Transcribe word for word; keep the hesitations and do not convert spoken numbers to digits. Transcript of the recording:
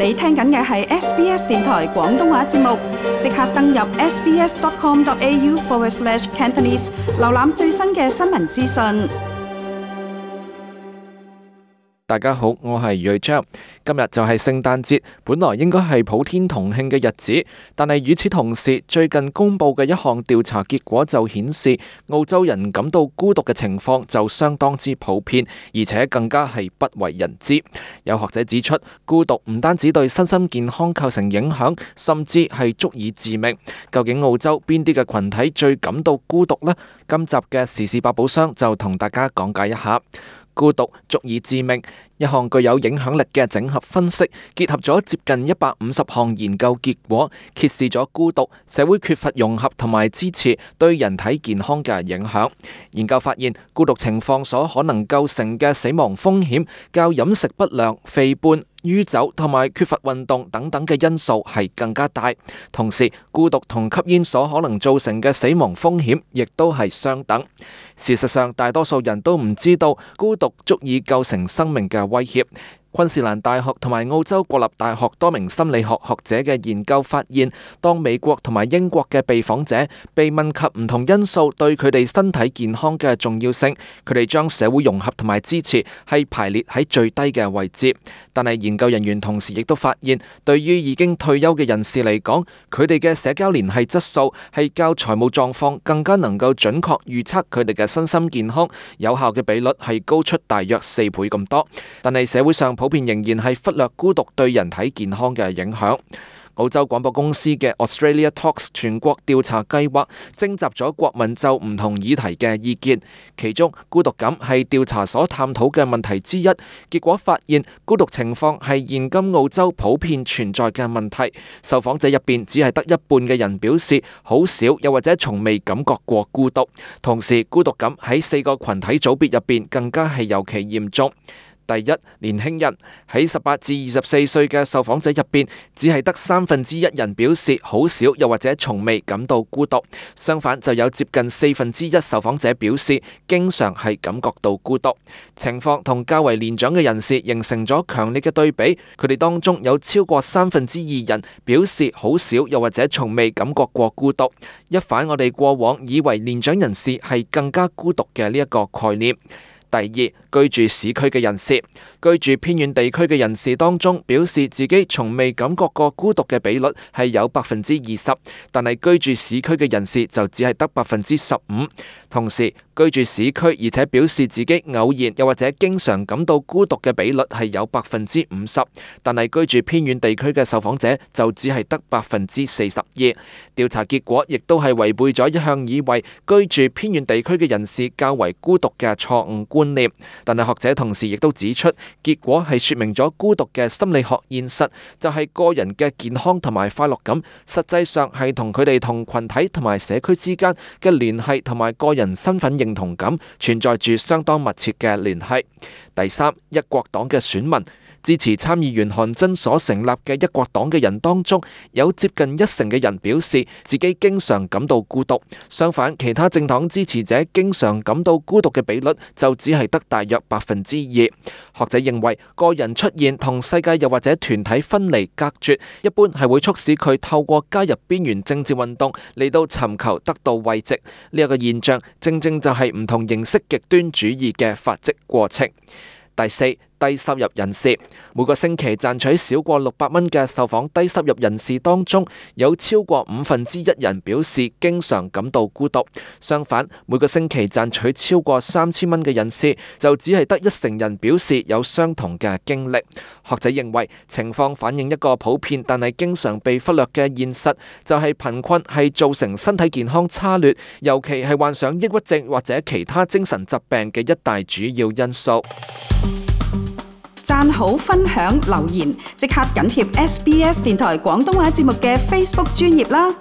你聽緊嘅係 S B S 電台廣東話節目，即刻登入 sbs.com.au forward slash Cantonese， 瀏覽最新嘅新聞資訊。大家好，我係瑞章。今日就係聖誕節，本來應該係普天同慶嘅日子，但係與此同時，最近公布嘅一項調查結果就顯示，澳洲人感到孤獨嘅情況就相當之普遍，而且更加係不為人知。有學者指出，孤獨唔單止對身心健康構成影響，甚至係足以致命。究竟澳洲邊啲嘅群體最感到孤獨呢？今集嘅時事百寶箱就同大家講解一下。孤獨足以致命，一項具有影響力嘅整合分析，結合咗接近一百五十項研究結果，揭示咗孤獨、社會缺乏融合同埋支持對人體健康嘅影響。研究發現，孤獨情況所可能構成嘅死亡風險，較飲食不良、肥胖、酗酒同埋缺乏運動等等嘅因素係更加大。同時，孤獨同吸煙所可能造成嘅死亡風險亦都係相等。事實上，大多數人都唔知道孤獨足以構成生命嘅威脅。昆士蘭大學同埋澳洲國立大學多名心理學學者嘅研究發現，當美國同埋英國嘅被訪者被問及唔同因素對佢哋身體健康嘅重要性，佢哋將社會融合同埋支持係排列喺最低嘅位置。但係研究人員同時亦都發現，對於已經退休嘅人士嚟講，佢哋嘅社交聯繫質素係較財務狀況更加能夠準確預測佢哋嘅身心健康，有效嘅比率係高出大約四倍咁多。但係社會上普遍仍然係忽略孤獨對人體健康嘅影響。澳洲廣播公司嘅 Australia Talks 全國調查計劃徵集咗國民就唔同議題嘅意見，其中孤獨感係調查所探討嘅問題之一。結果發現，孤獨情況係現今澳洲普遍存在嘅問題。受訪者入邊只係得一半嘅人表示好少又或者從未感覺過孤獨。同時，孤獨感喺四個群體組別入邊更加係尤其嚴重。第一，年輕人，喺十八至二十四歲嘅受訪者入邊，只係得三分之一人表示好少又或者從未感到孤獨。相反，就有接近四分之一受訪者表示經常係感覺到孤獨。情況同較為年長嘅人士形成咗強烈嘅對比，佢哋當中有超過三分之二人表示好少又或者從未感覺過孤獨。一反我哋過往以為年長人士係更加孤獨嘅呢一個概念。第二，居住市區嘅人士，居住偏遠地區嘅人士當中，表示自己從未感覺過孤獨嘅比率係有百分之二十，但係居住市區嘅人士就只係得百分之十五。同時，居住市區而且表示自己偶然又或者經常感到孤獨嘅比率係有百分之五十，但係居住偏遠地區嘅受訪者就只係得百分之四十二。調查結果亦都係違背咗一向以為居住偏遠地區嘅人士較為孤獨嘅錯誤觀念。但係學者同時亦都指出，結果係說明咗孤獨嘅心理學現實，就係個人嘅健康同埋快樂感，實際上係同佢哋同群體同埋社區之間嘅聯繫同埋個人身份認同感存在住相當密切嘅聯繫。第三，一國黨嘅選民。支持參議員韓真所成立嘅一國黨嘅人當中，有接近一成嘅人表示自己經常感到孤獨。相反，其他政黨支持者經常感到孤獨嘅比率就只係得大約百分之二。學者認為，個人出現同世界又或者團體分離隔絕，一般係會促使佢透過加入邊緣政治運動嚟到尋求得到慰藉。呢一個現象正正就係唔同形式極端主義嘅發跡過程。第四，低收入人士，每個星期賺取少過六百蚊嘅受訪低收入人士當中，有超過五分之一人表示經常感到孤獨。相反，每個星期賺取超過三千蚊嘅人士，就只係得一成人表示有相同嘅經歷。學者認為，情況反映一個普遍但係經常被忽略嘅現實，就係貧困係造成身體健康差劣，尤其係患上抑鬱症或者其他精神疾病嘅一大主要因素。讚好、分享、留言，即刻緊貼 S B S 電台廣東話節目嘅 Facebook 專頁啦！